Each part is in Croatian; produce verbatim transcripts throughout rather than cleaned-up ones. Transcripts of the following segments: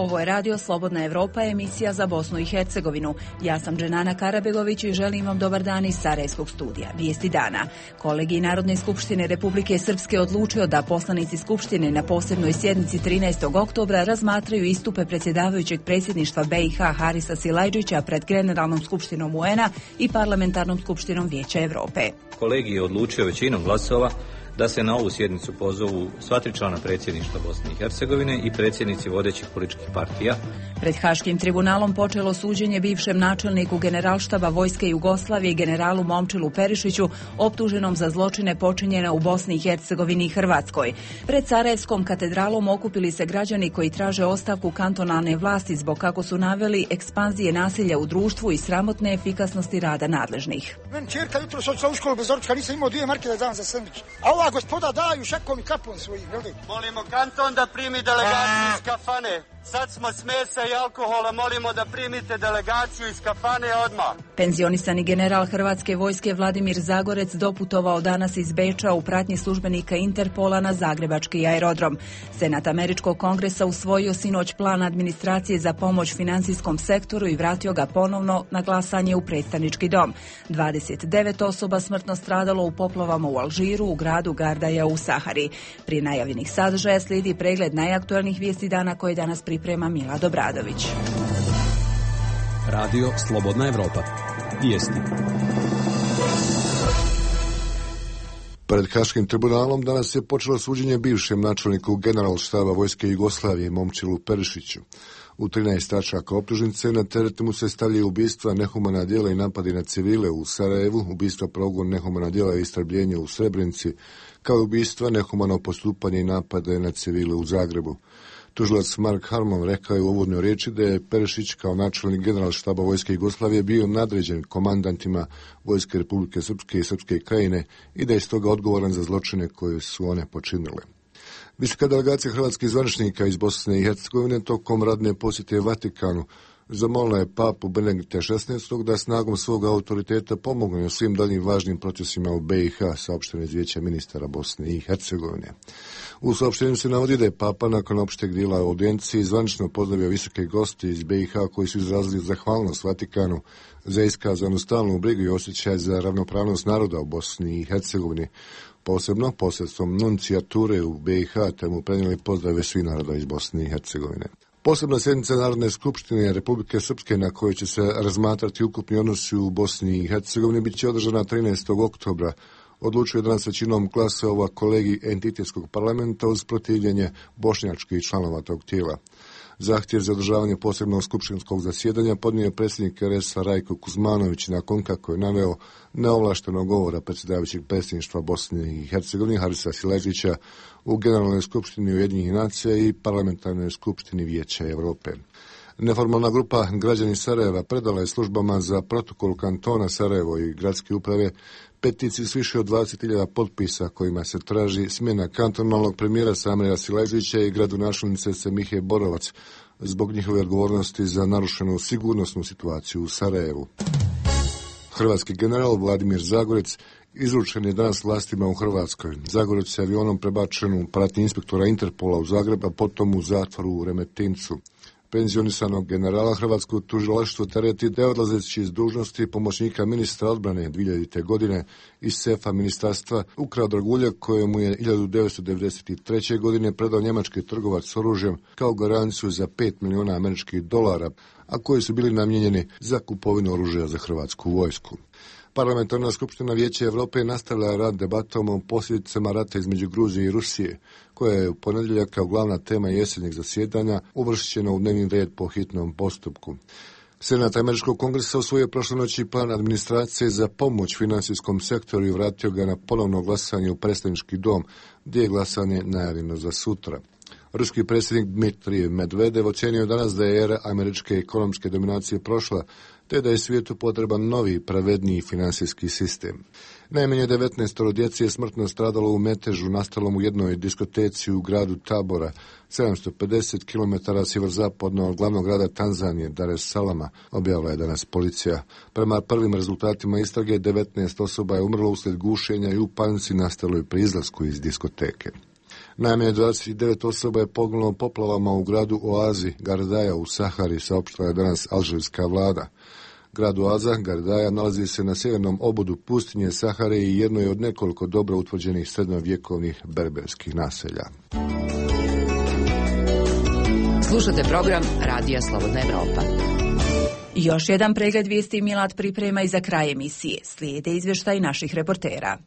Ovo je Radio Slobodna Evropa, emisija za Bosnu i Hercegovinu. Ja sam Dženana Karabegović i želim vam dobar dan iz Sarajevskog studija. Vijesti dana. Kolegij Narodne skupštine Republike Srpske odlučio da poslanici skupštine na posebnoj sjednici trinaestog oktobra razmatraju istupe predsjedavajućeg predsjedništva B i H Harisa Silajdžića pred Generalnom skupštinom U N-a i Parlamentarnom skupštinom Vijeća Europe. Kolegij je odlučio većinom glasova da se na ovu sjednicu pozovu sva tri člana predsjedništva Bosne i Hercegovine i predsjednici vodećih političkih partija. Pred Haškim tribunalom počelo suđenje bivšem načelniku Generalštaba Vojske Jugoslavije generalu Momčilu Perišiću, optuženom za zločine počinjene u Bosni i Hercegovini i Hrvatskoj. Pred Sarajevskom katedralom okupili se građani koji traže ostavku kantonalne vlasti zbog, kako su naveli, ekspanzije nasilja u društvu i sramotne efikasnosti rada nadležnih. Men čerka jutro se odšla u školu bez doručka, nisam imao dvije marke da dam za sendvič. A ova gospoda daju šakom i kapom svojim, jel' li? Molimo kanton da primi delegaciju iz kafane. Sad smo s mesa i alkohola, molimo da primite delegaciju iz kafane odmah. Penzionisani general Hrvatske vojske Vladimir Zagorec doputovao danas iz Beča u pratnji službenika Interpola na zagrebački aerodrom. Senat Američkog kongresa usvojio sinoć plan administracije za pomoć financijskom sektoru i vratio ga ponovno na glasanje u predstavnički dom. dvadeset devet osoba smrtno stradalo u poplavama u Alžiru, u gradu Gardaja u Sahari. Prije najavljenih sadržaja slijedi pregled najaktualnijih vijesti dana koje danas priprema Mila Dobradović. Radio Slobodna Evropa. Vijesti. Pred Haškim tribunalom danas je počelo suđenje bivšem načelniku Generalštaba Vojske Jugoslavije Momčilu Perišiću. U trinaest tačaka optužnice na teret mu se stavljaju ubistva, nehumana djela i napadi na civile u Sarajevu, ubistva, progon, nehumana djela i istrebljenje u Srebrenici, kao i ubistva, nehumano postupanje i napade na civile u Zagrebu. Tužilac Mark Harmon rekao je u uvodnoj riječi da je Perišić kao načelnik Generalštaba Vojske Jugoslavije bio nadređen komandantima Vojske Republike Srpske i Srpske krajine i da je stoga odgovoran za zločine koje su one počinile. Visoka delegacija hrvatskih zvaničnika iz Bosne i Hercegovine tokom radne posjete Vatikanu zamolila je papu Benedikta šesnaestog da snagom svog autoriteta pomogne u svim daljim važnim procesima u B i H, saopšteno iz Vijeća ministara Bosne i Hercegovine. U saopštenju se navodi da je papa nakon opšteg dijela audijencije zvanično pozdravio visoke goste iz B i H koji su izrazili zahvalnost Vatikanu za iskazanu stalnu brigu i osjećaj za ravnopravnost naroda u Bosni i Hercegovini, posebno posredstvom nuncijature u B i H, te mu prenijeli pozdrave svih naroda iz Bosne i Hercegovine. Posebna sjednica Narodne skupštine Republike Srpske na kojoj će se razmatrati ukupni odnosi u Bosni i Hercegovini bit će održana trinaestog oktobra. Odlučuje danas većinom glasova kolegij entitetskog parlamenta uz protivljenje bošnjačkih članova tog tijela. Zahtjev za održavanje posebnog skupštinskog zasjedanja podnio je predsjednik R S-a Rajko Kuzmanović nakon kako je naveo neovlaštenog govora predsjedavajućeg predsjedništva Bosne i Hercegovine Harisa Silajdžića u Generalnoj skupštini Ujedinjenih nacija i Parlamentarnoj skupštini Vijeća Europe. Neformalna grupa građani Sarajeva predala je službama za protokol kantona Sarajevo i gradske uprave peticiju s više od dvadeset hiljada potpisa kojima se traži smjena kantonalnog premijera Samira Silajdžića i gradonačelnice Semihe Borovac zbog njihove odgovornosti za narušenu sigurnosnu situaciju u Sarajevu. Hrvatski general Vladimir Zagorec izručen je danas vlastima u Hrvatskoj. Zagorec je avionom prebačen u pratnji inspektora Interpola u Zagreb, a potom u zatvoru u Remetincu. Penzionisanog generala hrvatsko tužilaštvo tereti da je odlazeći iz dužnosti pomoćnika ministra odbrane dvije hiljadite godine iz sefa ministarstva ukrao dragulja kojemu je hiljadu devetsto devedeset treće. godine predao njemački trgovac s oružjem kao garanciju za pet milijuna američkih dolara, a koji su bili namijenjeni za kupovinu oružja za hrvatsku vojsku. Parlamentarna skupština Vijeća Europe nastavlja rad debatom o posljedicama rata između Gruzije i Rusije, koja je u ponedjeljak kao glavna tema jesenjeg zasjedanja uvršćena u dnevni red po hitnom postupku. Senat Američkog kongresa usvojio prošle noći plan administracije za pomoć financijskom sektoru i vratio ga na ponovno glasanje u predstavnički dom, gdje je glasanje najavljeno za sutra. Ruski predsjednik Dmitrij Medvedev ocjenio danas da je era američke ekonomske dominacije prošla, te da je svijetu potreban novi, pravedniji financijski sistem. Najmanje devetnaestoro djece je smrtno stradalo u metežu nastalom u jednoj diskoteci u gradu Tabora, sedamsto pedeset kilometara sjeverozapadno od glavnog grada Tanzanije, Dar es Salama, objavila je danas policija. Prema prvim rezultatima istrage, devetnaest osoba je umrlo uslijed gušenja i u panici nastaloj pri izlasku iz diskoteke. Najmanje dvadeset devet osoba je poginulo poplavama u gradu Oazi, Gardaja u Sahari, saopštila je danas alžirska vlada. Grad Oaza, Gardaja, nalazi se na sjevernom obodu pustinje Sahare i jedno je od nekoliko dobro utvrđenih srednjovjekovnih berberskih naselja. Slušate program Radija Slobodna Evropa. Još jedan pregled vijesti Milad priprema i za kraj emisije. Slijede izvještaj naših reportera.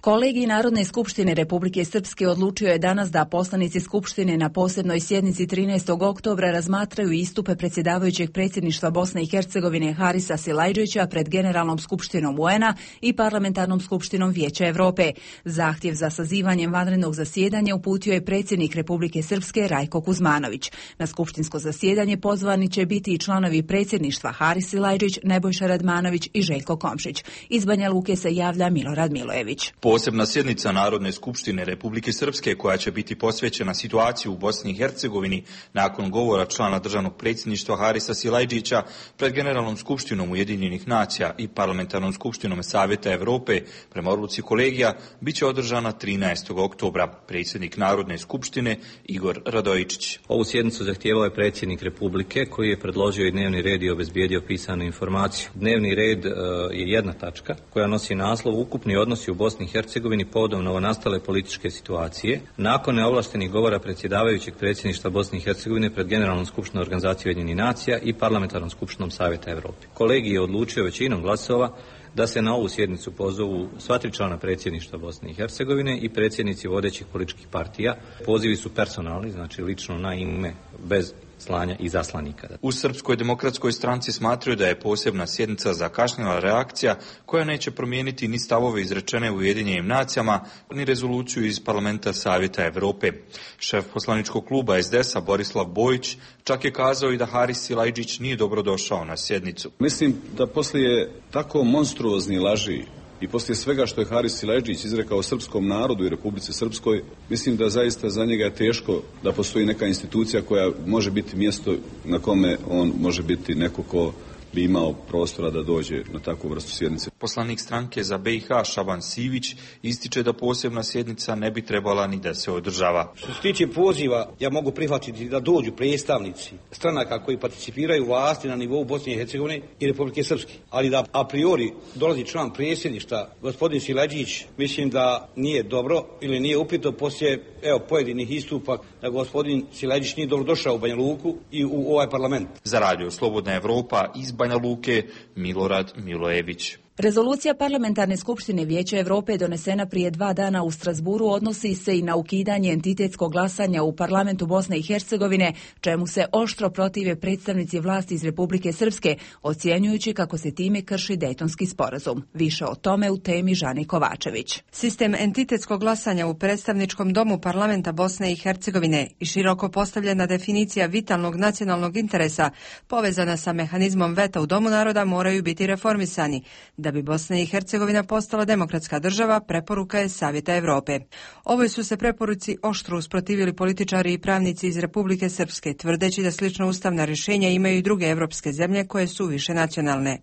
Kolegij Narodne skupštine Republike Srpske odlučio je danas da poslanici Skupštine na posebnoj sjednici trinaestog oktobra razmatraju istupe predsjedavajućeg predsjedništva Bosne i Hercegovine Harisa Silajdžića pred Generalnom skupštinom U N-a i Parlamentarnom skupštinom Vijeća Evrope. Zahtjev za sazivanjem vanrednog zasjedanja uputio je predsjednik Republike Srpske Rajko Kuzmanović. Na skupštinsko zasjedanje pozvani će biti i članovi predsjedništva Haris Silajdžić, Nebojša Radmanović i Željko Komšić. Iz Banja Luke se javlja Milorad Milojević. Posebna sjednica Narodne skupštine Republike Srpske koja će biti posvećena situaciji u Bosni i Hercegovini nakon govora člana državnog predsjedništva Harisa Silajdžića pred Generalnom skupštinom Ujedinjenih nacija i Parlamentarnom skupštinom Savjeta Evrope prema odluci kolegija bit će održana trinaestog oktobra. Predsjednik Narodne skupštine Igor Radojičić. Ovu sjednicu zahtijevao je predsjednik Republike koji je predložio i dnevni red i obezbijedio pisanu informaciju. Dnevni red uh, je jedna tačka koja nosi naslov Ukupni odnosi u Bosni i Hercegovini Hercegovini povodom novonastale političke situacije, nakon neovlaštenih govora predsjedavajućeg predsjedništva Bosne i Hercegovine pred Generalnom skupštinom Organizacije Ujedinjenih nacija i Parlamentarnom skupštinom Savjeta Evrope. Kolegij je odlučio većinom glasova da se na ovu sjednicu pozovu sva tri člana predsjedništva Bosne i Hercegovine i predsjednici vodećih političkih partija. Pozivi su personalni, znači lično na ime, bez slanja i zaslanika. U Srpskoj demokratskoj stranci smatraju da je posebna sjednica zakašnjela reakcija koja neće promijeniti ni stavove izrečene u Ujedinjenim nacijama, ni rezoluciju iz Parlamenta Savjeta Evrope. Šef poslaničkog kluba S D S-a Borislav Bojić čak je kazao i da Haris Silajdžić nije dobrodošao na sjednicu. Mislim da poslije tako monstruozni laži i poslije svega što je Haris Silajdžić izrekao srpskom narodu i Republici Srpskoj, mislim da zaista za njega je teško da postoji neka institucija koja može biti mjesto na kome on može biti neko ko bi imao prostora da dođe na takvu vrstu sjednice. Poslanik stranke za B i H Šaban Sivić ističe da posebna sjednica ne bi trebala ni da se održava. Što se tiče poziva, ja mogu prihvatiti da dođu predstavnici stranaka koji participiraju vlasti na nivou Bosne i Hercegovine i Republike Srpske. Ali da a priori dolazi član predsjedništva, gospodin Silajdžić, mislim da nije dobro ili nije upito poslije evo, pojedinih istupa da gospodin Silajdžić nije dobro došao u Banja Luku i u ovaj parlament. Za Radio Slobodna Evropa iz Banja Luke, Milorad Milojević. Rezolucija Parlamentarne skupštine Vijeća Evrope donesena prije dva dana u Strasburu odnosi se i na ukidanje entitetskog glasanja u parlamentu Bosne i Hercegovine, čemu se oštro protive predstavnici vlasti iz Republike Srpske, ocjenjujući kako se time krši Dejtonski sporazum. Više o tome u temi Žani Kovačević. Sistem entitetskog glasanja u predstavničkom domu parlamenta Bosne i Hercegovine i široko postavljena definicija vitalnog nacionalnog interesa povezana sa mehanizmom veta u Domu naroda moraju biti reformisani. Da bi Bosna i Hercegovina postala demokratska država, preporuka je Savjeta Evrope. Ovoj su se preporuci oštro usprotivili političari i pravnici iz Republike Srpske, tvrdeći da slično ustavna rješenja imaju i druge evropske zemlje koje su više nacionalne.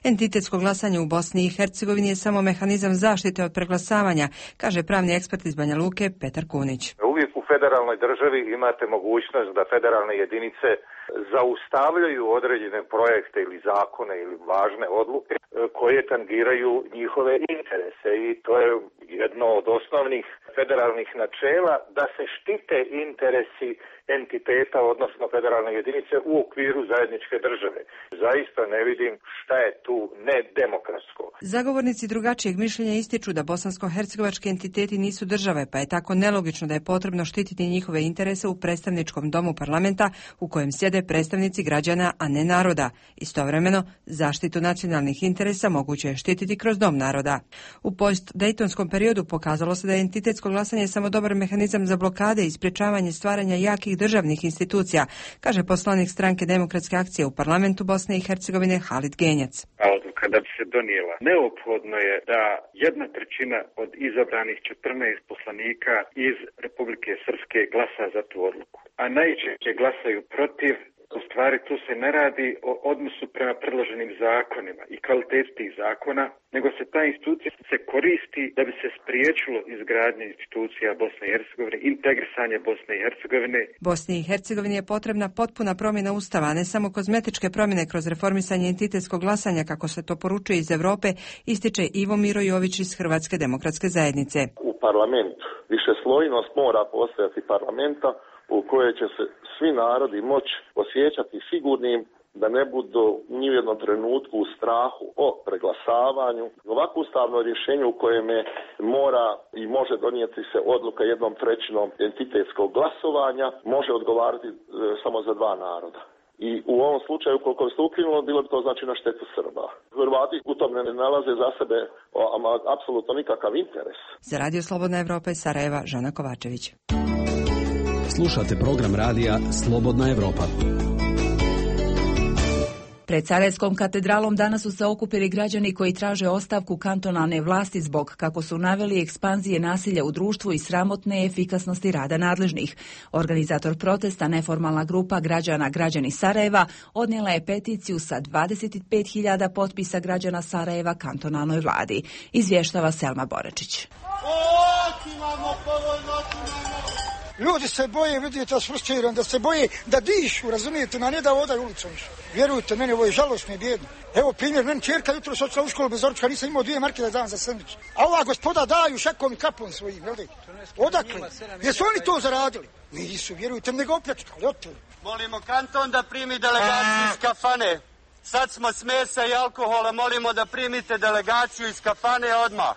Entitetsko glasanje u Bosni i Hercegovini je samo mehanizam zaštite od preglasavanja, kaže pravni ekspert iz Banja Luke Petar Kunić. Uvijek u federalnoj državi imate mogućnost da federalne jedinice zaustavljaju određene projekte ili zakone ili važne odluke koje tangiraju njihove interese i to je jedno od osnovnih federalnih načela da se štite interesi entiteta, odnosno federalne jedinice u okviru zajedničke države. Zaista ne vidim šta je tu nedemokratsko. Zagovornici drugačijeg mišljenja ističu da bosansko-hercegovački entiteti nisu države, pa je tako nelogično da je potrebno štititi njihove interese u predstavničkom domu parlamenta u kojem sjede predstavnici građana, a ne naroda. Istovremeno, zaštitu nacionalnih interesa moguće je štititi kroz dom naroda. U post-dejtonskom periodu pokazalo se da je entitetsko glasanje samo dobar mehanizam za blokade i sprječavanje stvaranja jakih državnih institucija, kaže poslanik stranke Demokratske akcije u parlamentu Bosne i Hercegovine Halid Genjac. Odluka da bi se donijela, neophodno je da jedna trećina od izabranih četrnaest poslanika iz Republike Srpske glasa za tu odluku, a najčešće glasaju protiv. stvari tu se ne radi o odnosu prema predloženim zakonima i kvaliteti tih zakona, nego se ta institucija se koristi da bi se spriječilo izgradnje institucija Bosne i Hercegovine, integrisanje Bosne i Hercegovine. Bosni i Hercegovini je potrebna potpuna promjena ustava, a ne samo kozmetičke promjene kroz reformisanje entitetskog glasanja, kako se to poručuje iz Europe, ističe Ivo Miro Jović iz Hrvatske demokratske zajednice. U parlamentu višeslojnost mora postojati parlamenta u kojoj će se svi narodi moći osjećati sigurnim, da ne budu ni u jednom trenutku u strahu o preglasavanju. Ovako ustavno rješenje u kojem mora i može donijeti se odluka jednom trećinom entitetskog glasovanja može odgovarati e, samo za dva naroda. I u ovom slučaju, koliko bi se ukinulo, bilo bi to znači na štetu Srba. Hrvati u tom ne nalaze za sebe ama apsolutno nikakav interes. Za Radio Slobodna Evropa iz Sarajeva, Žana Kovačević. Slušate program radija Slobodna Evropa. Pred Sarajevskom katedralom danas su se okupili građani koji traže ostavku kantonalne vlasti zbog, kako su naveli, ekspanzije nasilja u društvu i sramotne efikasnosti rada nadležnih. Organizator protesta, neformalna grupa građana Građani Sarajeva, odnijela je peticiju sa dvadeset pet hiljada potpisa građana Sarajeva kantonalnoj vladi. Izvještava Selma Boračić. Ljudi se boje, vidite, frustrirani, da se boje da dišu, razumijete, na ne da odaju ulicom. Vjerujte, meni ovo je žalosno i bijedno. Evo primjer, meni čerka jutro se odšla u školu bez doručka, nisam imao dvije marke da dam za sendvič. A ova gospoda daju šakom i kapom svojim, jel' de? Odakle? Jesu oni to zaradili? Nisu, vjerujte, nego opljačkali, oteli. Molimo kanton da primi delegaciju iz kafane. Sad smo s mesa i alkohola, molimo da primite delegaciju iz kafane odmah.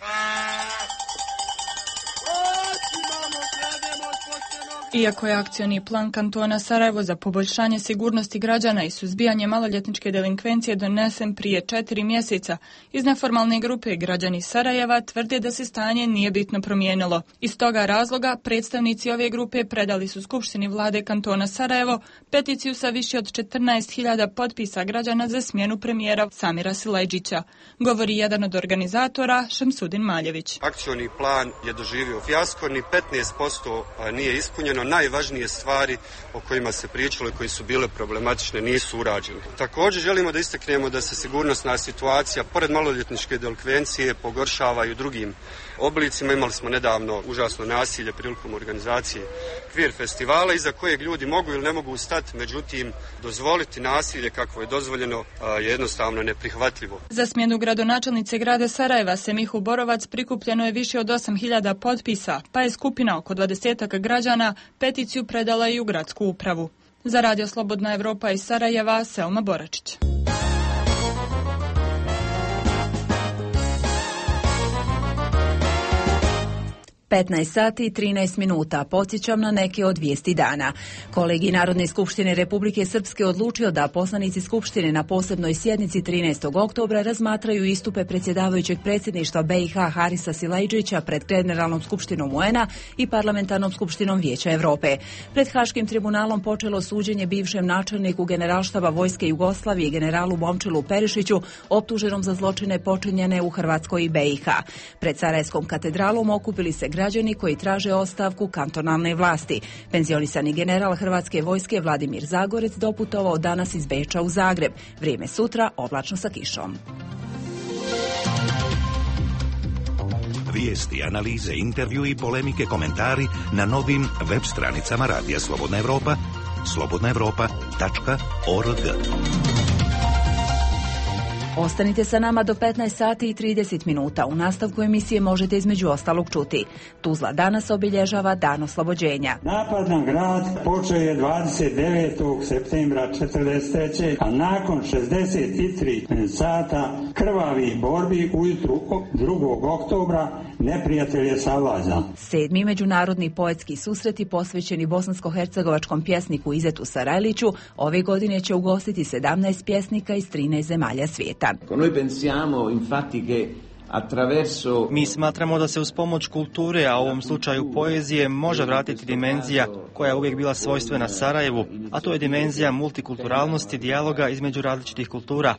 Iako je akcioni plan kantona Sarajevo za poboljšanje sigurnosti građana i suzbijanje maloljetničke delinkvencije donesen prije četiri mjeseca, iz neformalne grupe Građani Sarajeva tvrde da se stanje nije bitno promijenilo. Iz toga razloga predstavnici ove grupe predali su Skupštini vlade kantona Sarajevo peticiju sa više od četrnaest hiljada potpisa građana za smjenu premijera Samira Silajdžića, govori jedan od organizatora, Šemsudin Maljević. Akcioni plan je doživio fijasko, ni petnaest posto nije ispunjeno. Najvažnije stvari o kojima se pričalo i koji su bile problematične nisu urađene. Također želimo da istaknemo da se sigurnosna situacija pored maloljetničke delikvencije pogoršava i u drugim oblicima. Imali smo nedavno užasno nasilje prilikom organizacije Kvir festivala iza kojeg ljudi mogu ili ne mogu stati, međutim dozvoliti nasilje kako je dozvoljeno je jednostavno neprihvatljivo. Za smjenu gradonačelnice grada Sarajeva Semihu Borovac prikupljeno je više od osam hiljada potpisa, pa je skupina oko dvadesetak građana peticiju predala i u gradsku upravu. Za Radio Slobodna Evropa iz Sarajeva, Selma Boračić. petnaest sati i trinaest minuta. Podsjećam na neke od vijesti dana. Kolegi Narodne skupštine Republike Srpske odlučio da poslanici skupštine na posebnoj sjednici trinaestog oktobra razmatraju istupe predsjedavajućeg predsjedništva B i H Harisa Silajdžića pred Generalnom skupštinom U N A i Parlamentarnom skupštinom Vijeća Europe. Pred Haškim tribunalom počelo suđenje bivšem načelniku Generalštaba Vojske Jugoslavije generalu Momčilu Perišiću, optuženom za zločine počinjene u Hrvatskoj i B i H. Pred Sarajevskom katedralom okupili se građani koji traže ostavku kantonalne vlasti. Penzionisani general Hrvatske vojske Vladimir Zagorec doputovao danas iz Beča u Zagreb. Vrijeme sutra oblačno sa kišom. Vijesti, analize, intervju i polemike, komentari na novim web stranicama Radija Slobodna Evropa, slobodna evropa tačka org. Ostanite sa nama do petnaest sati i trideset minuta. U nastavku emisije možete između ostalog čuti. Tuzla danas obilježava Dan oslobođenja. Napad na grad počeo je dvadeset devetog septembra četrdeset treće a nakon šezdeset tri sata krvavih borbi ujutru drugog oktobra neprijatelj je savladao. Sedmi međunarodni poetski susreti posvećeni bosansko-hercegovačkom pjesniku Izetu Sarajliću ove godine će ugostiti sedamnaest pjesnika iz trinaest zemalja svijeta. Mi smatramo da se uz pomoć kulture, a u ovom slučaju poezije, može vratiti dimenzija koja je uvijek bila svojstvena Sarajevu, a to je dimenzija multikulturalnosti, dijaloga između različitih kultura.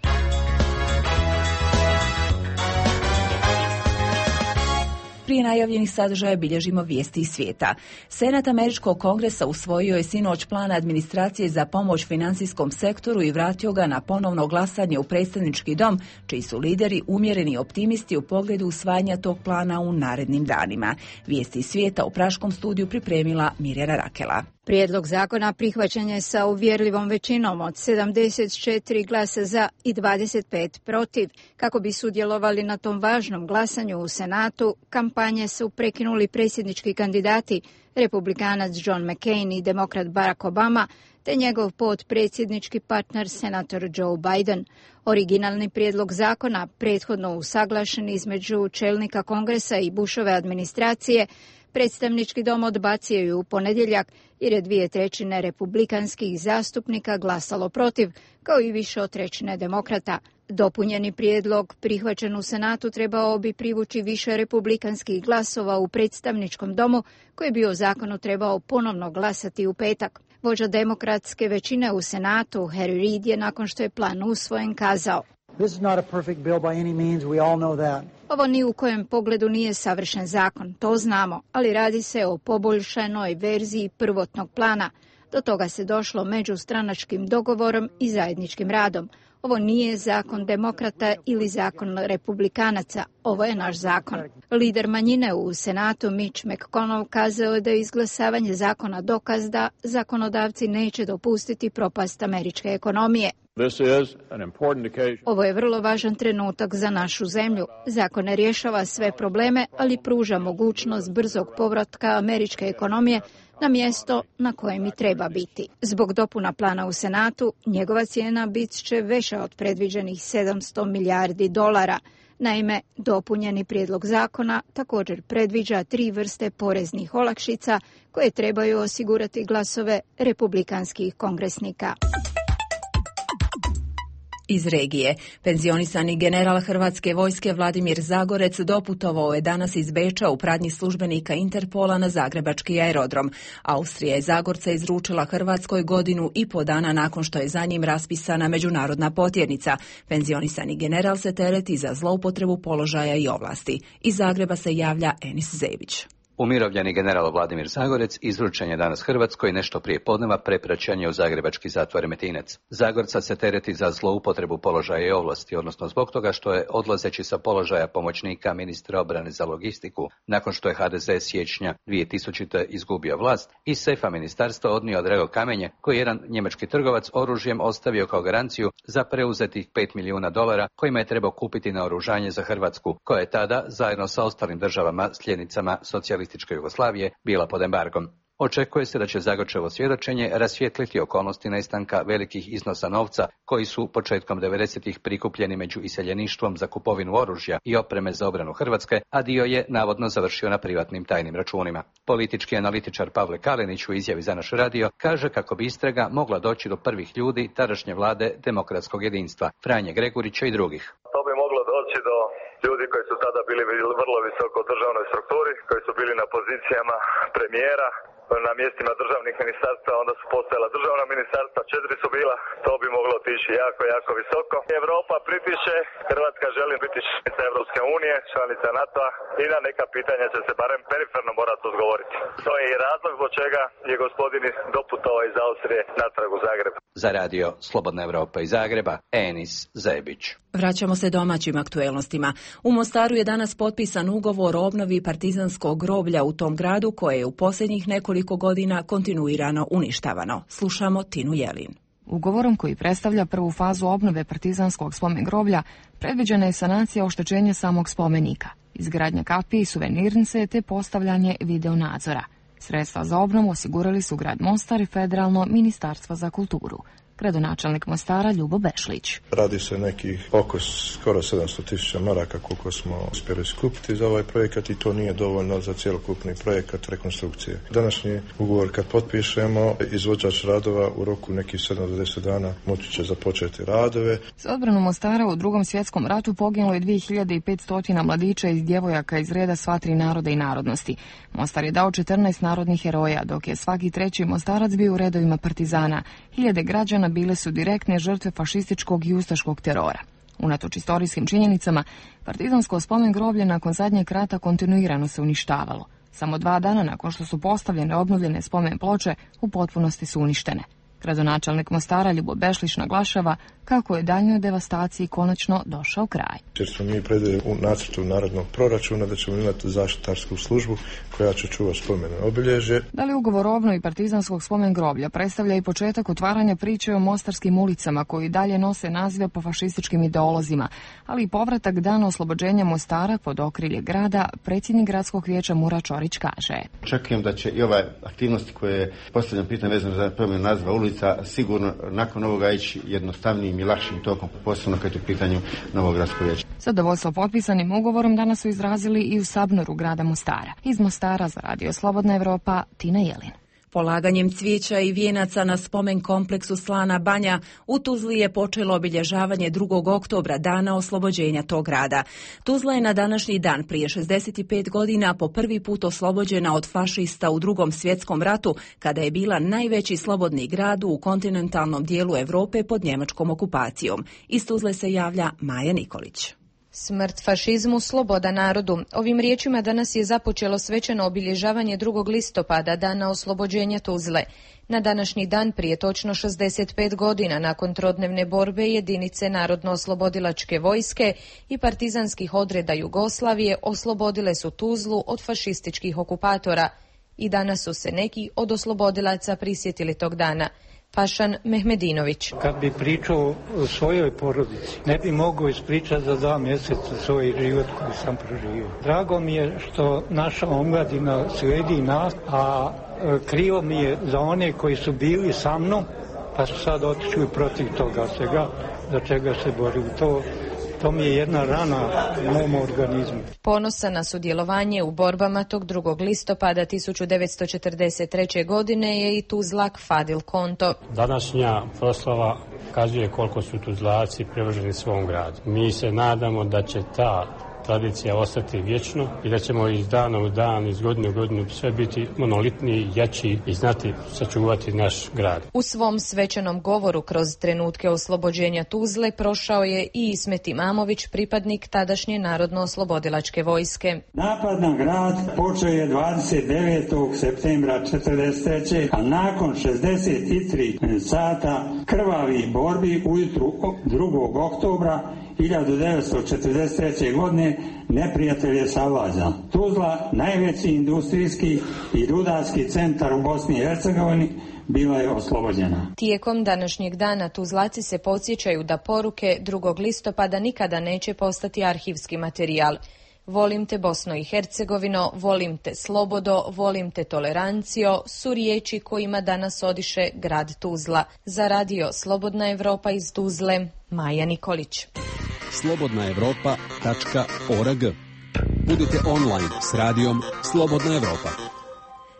prije najavljenih sadržaja bilježimo vijesti iz svijeta. Senat Američkog kongresa usvojio je sinoć plan administracije za pomoć financijskom sektoru i vratio ga na ponovno glasanje u predstavnički dom, čiji su lideri umjereni optimisti u pogledu usvajanja tog plana u narednim danima. Vijesti iz svijeta u praškom studiju pripremila Mirjana Rakela. Prijedlog zakona prihvaćen je sa uvjerljivom većinom od sedamdeset četiri glasa za i dvadeset pet protiv. Kako bi sudjelovali na tom važnom glasanju u Senatu, kampanje su prekinuli predsjednički kandidati, republikanac John McCain i demokrat Barack Obama, te njegov potpredsjednički partner senator Joe Biden. Originalni prijedlog zakona, prethodno usaglašen između čelnika Kongresa i Bushove administracije, predstavnički dom odbacio je u ponedjeljak jer je dvije trećine republikanskih zastupnika glasalo protiv, kao i više od trećine demokrata. Dopunjeni prijedlog, prihvaćen u Senatu, trebao bi privući više republikanskih glasova u predstavničkom domu, koji bi o zakonu trebao ponovno glasati u petak. Vođa demokratske većine u Senatu, Harry Reid, je nakon što je plan usvojen kazao: This is not a perfect bill by any means, we all know that. Ovo ni u kojem pogledu nije savršen zakon, to znamo, ali radi se o poboljšanoj verziji prvotnog plana. Do toga se došlo međustranačkim dogovorom i zajedničkim radom. Ovo nije zakon demokrata ili zakon republikanaca, ovo je naš zakon. Lider manjine u Senatu Mitch McConnell kazao je da je izglasavanje zakona dokaz da zakonodavci neće dopustiti propast američke ekonomije. Ovo je vrlo važan trenutak za našu zemlju. Zakon ne rješava sve probleme, ali pruža mogućnost brzog povratka američke ekonomije na mjesto na kojem i treba biti. Zbog dopuna plana u Senatu, njegova cijena bit će veća od predviđenih sedamsto milijardi dolara. Naime, dopunjeni prijedlog zakona također predviđa tri vrste poreznih olakšica koje trebaju osigurati glasove republikanskih kongresnika. Iz regije. Penzionisani general Hrvatske vojske Vladimir Zagorec doputovao je danas iz Beča u pratnji službenika Interpola na zagrebački aerodrom. Austrija je Zagorca izručila Hrvatskoj godinu i po dana nakon što je za njim raspisana međunarodna potjernica. Penzionisani general se tereti za zloupotrebu položaja i ovlasti. Iz Zagreba se javlja Enis Zebić. Umirovljeni general Vladimir Zagorec izručen je danas Hrvatskoj nešto prije podneva prepraćen je u zagrebački zatvor Remetinec. Zagorca se tereti za zloupotrebu položaja i ovlasti, odnosno zbog toga što je odlazeći sa položaja pomoćnika ministra obrane za logistiku, nakon što je ha de ze siječnja dvije tisućite izgubio vlast, iz sefa ministarstva odnio drago kamenje koji je jedan njemački trgovac oružjem ostavio kao garanciju za preuzetih pet milijuna dolara kojima je trebao kupiti naoružanje za Hrvatsku, koja je tada, zajedno sa ostalim državama sljednicama socijalističke Jugoslavije, bila pod embargom. Očekuje se da će Zagorčevo svjedočenje rasvijetliti okolnosti nestanka velikih iznosa novca koji su početkom devedesetih prikupljeni među iseljeništvom za kupovinu oružja i opreme za obranu Hrvatske, a dio je navodno završio na privatnim tajnim računima. Politički analitičar Pavle Kalenić u izjavi za naš radio kaže kako bi istraga mogla doći do prvih ljudi tadašnje vlade demokratskog jedinstva, Franje Gregurića i drugih. To bi moglo doći do ljudi koji su tada bili vrlo visoko u državnoj strukturi, koji su bili na pozicijama premijera, na mjestima državnih ministarstva, onda su postojala državna ministarstva, četiri su bila, to bi moglo otići jako, jako visoko. Evropa pritiče, Hrvatska želi biti članica Evropske unije, članica NATO-a i na neka pitanja će se barem periferno morati odgovoriti. To je i razlog zbog čega je gospodin doputovao iz Austrije natrag u Zagreb. Za radio Slobodna Evropa iz Zagreba, Enis Zebić. Vraćamo se domaćim aktuelnostima. U Mostaru je danas potpisan ugovor o obnovi partizanskog groblja u tom gradu koje je u posljednjih nekoliko godina kontinuirano uništavano. Slušamo Tinu Jelin. Ugovorom koji predstavlja prvu fazu obnove partizanskog spomen groblja predviđena je sanacija oštećenja samog spomenika, izgradnja kapije i suvenirnice te postavljanje videonadzora. Sredstva za obnovu osigurali su grad Mostar i Federalno ministarstvo za kulturu. Gradonačelnik Mostara Ljubo Bešlić. Radi se nekih oko skoro sedamsto tisuća maraka koliko smo uspjeli skupiti za ovaj projekat i to nije dovoljno za cjelokupni projekat rekonstrukcije. Današnji ugovor kad potpišemo, izvođač radova u roku nekih sedam do deset dana moći će započeti radove. Za odbranu Mostara u Drugom svjetskom ratu poginulo je dvije hiljade petsto mladića i djevojaka iz reda sva tri naroda i narodnosti. Mostar je dao četrnaest narodnih heroja, dok je svaki treći Mostarac bio u redovima partizana. Hiljade građana bile su direktne žrtve fašističkog i ustaškog terora. Unatoč istorijskim činjenicama, partizansko spomen groblje nakon zadnjeg rata kontinuirano se uništavalo. Samo dva dana nakon što su postavljene obnovljene spomen ploče, u potpunosti su uništene. Gradonačelnik Mostara Ljubo Bešlić naglašava kako je daljnjoj devastaciji konačno došao kraj. Jer smo mi predvidjeli u nacrtu narodnog proračuna da ćemo imati zaštitarsku službu koja će čuvati spomene obilježje. Da li ugovor o obnovi partizanskog spomen groblja predstavlja i početak otvaranja priče o mostarskim ulicama koji dalje nose nazive po fašističkim ideolozima, ali i povratak dana oslobođenja Mostara pod okrilje grada, predsjednik gradskog vijeća Mura Čorić kaže. Očekujem da će i ove aktivnosti koje postavljam pitanje vezano za promjenu naziva ulica sigurno nakon ovoga ići jednostavnijim i lakšim tokom, posebno kad je u pitanju novog gradskog vijeća. Zadovoljstvo potpisanim ugovorom danas su izrazili i u Sabnoru grada Mostara. Iz Mostara za Radio Slobodna Evropa, Tina Jelin. Polaganjem cvijeća i vijenaca na spomen kompleksu Slana Banja u Tuzli je počelo obilježavanje drugog oktobra, dana oslobođenja tog grada. Tuzla je na današnji dan prije šezdeset pet godina po prvi put oslobođena od fašista u Drugom svjetskom ratu, kada je bila najveći slobodni grad u kontinentalnom dijelu Europe pod njemačkom okupacijom. Iz Tuzle se javlja Maja Nikolić. Smrt fašizmu, sloboda narodu. Ovim riječima danas je započelo svečano obilježavanje drugog listopada, dana oslobođenja Tuzle. Na današnji dan prije točno šezdeset pet godina nakon trodnevne borbe jedinice Narodno-oslobodilačke vojske i partizanskih odreda Jugoslavije oslobodile su Tuzlu od fašističkih okupatora. I danas su se neki od oslobodilaca prisjetili tog dana. Pašan Mehmedinović. Kad bi pričao o svojoj porodici, ne bi mogao ispričati za dva mjeseca svoj život koji sam proživio. Drago mi je što naša omladina slijedi nas, a krivo mi je za one koji su bili sa mnom, pa su sad otišli protiv toga svega, za čega se borili. To To mi je jedna rana u mom organizmu. Ponosa na sudjelovanje u borbama tog drugog listopada tisuću devetsto četrdeset treće. godine je i Tuzlak Fadil Konto. Današnja proslava kazuje koliko su Tuzlaci privrženi svom gradu. Mi se nadamo da će ta tradicija ostati vječno i da ćemo iz dana u dan, iz godine u godinu sve biti monolitniji, jači i znati sačuvati naš grad. U svom svečanom govoru kroz trenutke oslobođenja Tuzle prošao je i Ismet Imamović, pripadnik tadašnje Narodno-oslobodilačke vojske. Napad na grad počeo je dvadeset devetog septembra četrdeset treće. a nakon šezdeset tri sata krvavih borbi ujutru drugog oktobra hiljadu devetsto četrdeset treće. godine neprijatelj je savladao. Tuzla, najveći industrijski i rudarski centar u Bosni i Hercegovini, bila je oslobođena. Tijekom današnjeg dana Tuzlaci se podsjećaju da poruke drugog listopada nikada neće postati arhivski materijal. Volim te Bosno i Hercegovino, volim te slobodo, volim te tolerancijo su riječi kojima danas odiše grad Tuzla. Za Radio Slobodna Evropa iz Tuzle, Maja Nikolić. slobodna evropa tačka org. Budite online s radijom Slobodna Evropa.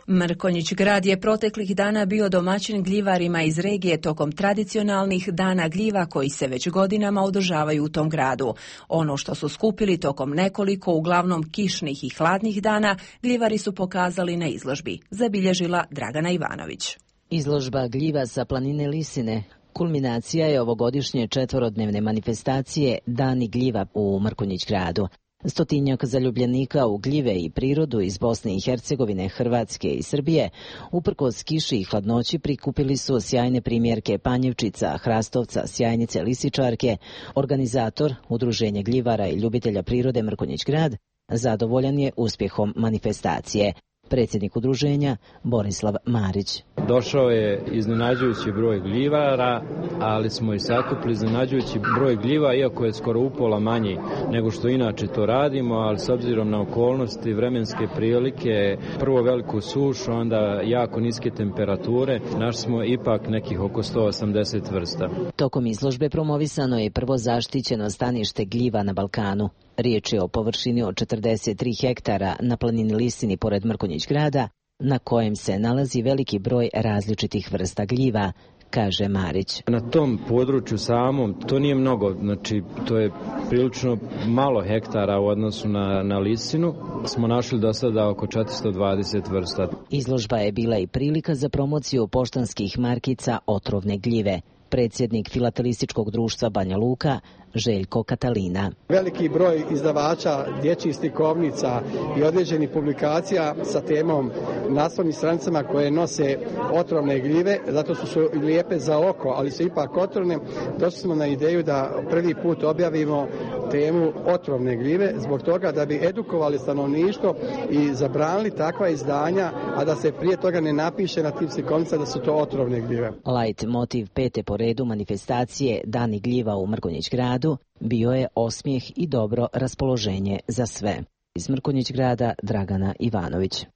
Mrkonjić grad je proteklih dana bio domaćin gljivarima iz regije tokom tradicionalnih dana gljiva koji se već godinama održavaju u tom gradu. Ono što su skupili tokom nekoliko uglavnom kišnih i hladnih dana, gljivari su pokazali na izložbi, zabilježila Dragana Ivanović. Izložba gljiva sa planine Lisine kulminacija je ovogodišnje četvorodnevne manifestacije Dani gljiva u Mrkonjić gradu. Stotinjak zaljubljenika u gljive i prirodu iz Bosne i Hercegovine, Hrvatske i Srbije, uprkos kiši i hladnoći prikupili su sjajne primjerke panjevčica, hrastovca, sjajnice lisičarke. Organizator, Udruženje gljivara i ljubitelja prirode Mrkonjić grad, zadovoljan je uspjehom manifestacije. Predsjednik udruženja Borislav Marić. Došao je iznenađujući broj gljivara, ali smo i sakupili iznenađujući broj gljiva, iako je skoro upola manji nego što inače to radimo, ali s obzirom na okolnosti, vremenske prilike, prvo veliku sušu, onda jako niske temperature, našli smo ipak nekih oko sto osamdeset vrsta. Tokom izložbe promovisano je prvo zaštićeno stanište gljiva na Balkanu. Riječ je o površini od četrdeset tri hektara na planini Lisini pored Mrkonjić grada, na kojem se nalazi veliki broj različitih vrsta gljiva, kaže Marić. Na tom području samom to nije mnogo, znači to je prilično malo hektara u odnosu na, na Lisinu. Smo našli do sada oko četiristo dvadeset vrsta. Izložba je bila i prilika za promociju poštanskih markica otrovne gljive. Predsjednik Filatelističkog društva Banja Luka, Željko Katalina. Veliki broj izdavača dječjih slikovnica i određenih publikacija sa temom naslovnim stranicama koje nose otrovne gljive, zato su, su lijepe za oko, ali su ipak otrovne. Došli smo na ideju da prvi put objavimo temu otrovne gljive, zbog toga da bi edukovali stanovništvo i zabranili takva izdanja, a da se prije toga ne napiše na tim slikovnicama da su to otrovne gljive. Light motiv pete po redu manifestacije Dani gljiva u Mrkonjić gradu bio je osmijeh i dobro raspoloženje za sve. Iz Mrkonjić grada Dragana Ivanović.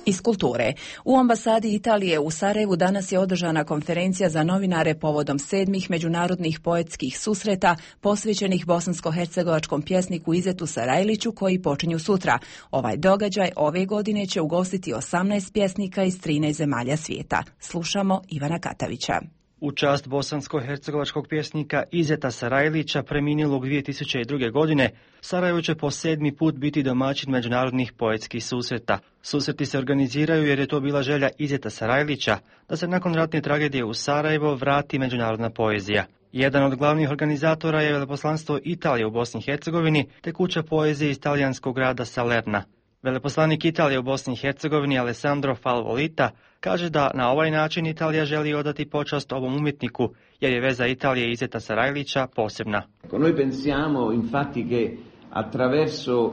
Iz kulture. U ambasadi Italije u Sarajevu danas je održana konferencija za novinare povodom sedmih međunarodnih poetskih susreta posvećenih bosansko-hercegovačkom pjesniku Izetu Sarajliću koji počinju sutra. Ovaj događaj ove godine će ugostiti osamnaest pjesnika iz trinaest zemalja svijeta. Slušamo Ivana Katavića. U čast bosansko-hercegovačkog pjesnika Izeta Sarajlića preminulog dvije tisuće druge. godine, Sarajevo će po sedmi put biti domaćin međunarodnih poetskih susreta. Susreti se organiziraju jer je to bila želja Izeta Sarajlića da se nakon ratne tragedije u Sarajevo vrati međunarodna poezija. Jedan od glavnih organizatora je veleposlanstvo Italije u Bosni i Hercegovini te kuća poezije iz talijanskog grada Salerna. Veleposlanik Italije u Bosni i Hercegovini Alessandro Falvolita kaže da na ovaj način Italija želi odati počast ovom umjetniku, jer je veza Italije i Izeta Sarajlića posebna.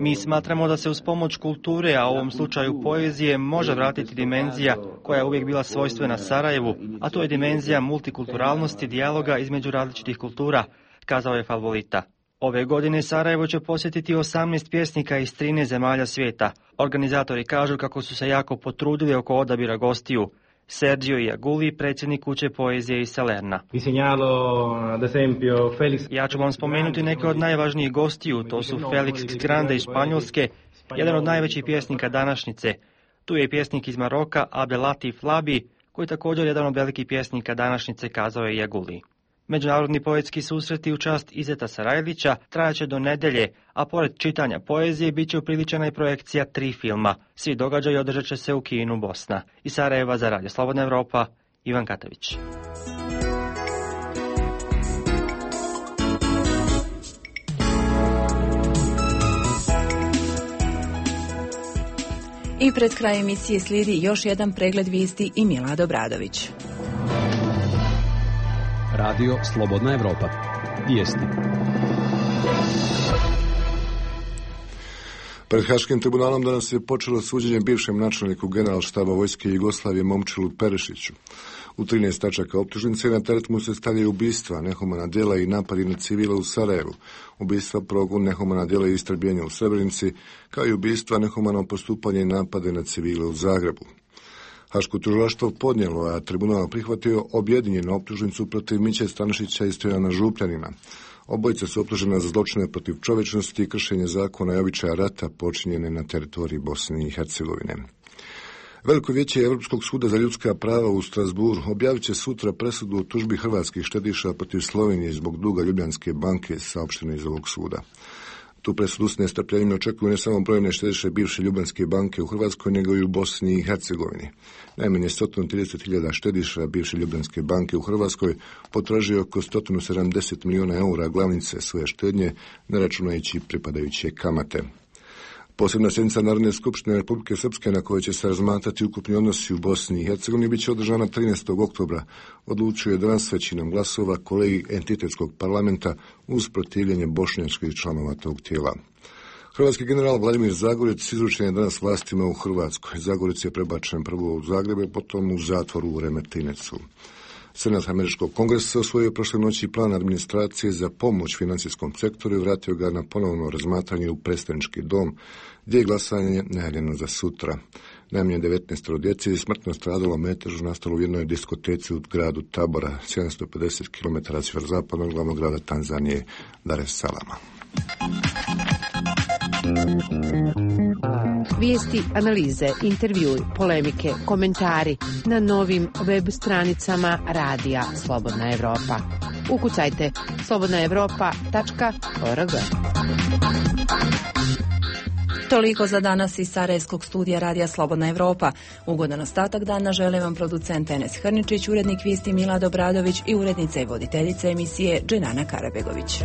Mi smatramo da se uz pomoć kulture, a u ovom slučaju poezije, može vratiti dimenzija koja je uvijek bila svojstvena Sarajevu, a to je dimenzija multikulturalnosti, dijaloga između različitih kultura, kazao je Falvolita. Ove godine Sarajevo će posjetiti osamnaest pjesnika iz trinaest zemalja svijeta. Organizatori kažu kako su se jako potrudili oko odabira gostiju. Sergio Iaguli, predsjednik kuće poezije iz Salerna. Ja ću vam spomenuti neke od najvažnijih gostiju, to su Felix Grande iz Španjolske, jedan od najvećih pjesnika današnjice. Tu je i pjesnik iz Maroka Abdelatif Labi, koji je također jedan od velikih pjesnika današnjice, kazao je Iaguli. Međunarodni poetski susreti u čast Izeta Sarajlića trajaće do nedjelje, a pored čitanja poezije bit će upriličena i projekcija tri filma. Svi događaji održat će se u kinu Bosna. Iz Sarajeva za Radio Slobodna Evropa, Ivan Katavić. I pred kraj emisije slijedi još jedan pregled vijesti i Milad Obradović. Radio Slobodna Evropa. Vijesti. Pred Haškim tribunalom danas je počelo suđenje bivšem načelniku generalštaba vojske Jugoslavije Momčilu Perešiću. U trinaest tačaka optužnice na teret mu se stavljaju ubistva, nehumana djela i napadi na civile u Sarajevu, ubistva, progon, nehumana djela i istrebljenja u Srebrenici, kao i ubistva, nehumano postupanje i napade na civile u Zagrebu. Haško tužilaštvo podnijelo, a tribunal prihvatio objedinjenu optužnicu protiv Miće Stanišića i Stojana Župljanina. Obojica su optužena za zločine protiv čovječnosti i kršenje zakona i običaja rata počinjene na teritoriji Bosne i Hercegovine. Veliko vijeće Europskog suda za ljudska prava u Strasburu objavit će sutra presudu o tužbi hrvatskih štediša protiv Slovenije zbog duga Ljubljanske banke, saopšteno iz ovog suda. Tu presudu s nestrpljenjem očekuju ne samo brojne štediše bivše Ljubljanske banke u Hrvatskoj, nego i u Bosni i Hercegovini. Najmanje sto trideset hiljada štediša bivše Ljubljanske banke u Hrvatskoj potražuje oko sto sedamdeset milijuna eura glavnice svoje štednje, ne računajući pripadajuće kamate. Posebna sjednica Narodne skupštine Republike Srpske na kojoj će se razmatrati ukupni odnosi u Bosni i Hercegovini bit će održana trinaestog oktobra, odlučio je danas većinom glasova kolegi entitetskog parlamenta uz protivljenje bošnjačkih članova tog tijela. Hrvatski general Vladimir Zagorec izručen je danas vlastima u Hrvatskoj. Zagorec je prebačen prvo u Zagrebe, potom u zatvoru u Remetincu. Senat Američkog kongresa osvojio prošle noći plan administracije za pomoć financijskom sektoru i vratio ga na ponovno razmatranje u predstavnički dom, gdje je glasanje najavljeno za sutra. Najmanje devetnaest djece je smrtno stradalo metežu nastalo u jednoj diskoteci u gradu Tabora, sedamsto pedeset kilometara sjeverozapadnog glavnog grada Tanzanije, Dar es Salama. Vijesti, analize, intervjui, polemike, komentari na novim web stranicama Radija Slobodna Evropa. Ukucajte slobodna evropa tačka org. Toliko za danas iz Sarajevskog studija Radija Slobodna Evropa. Ugodan ostatak dana žele vam producent Enes Hrničić, urednik vijesti Milad Obradović i urednica i voditeljica emisije Dženana Karabegović.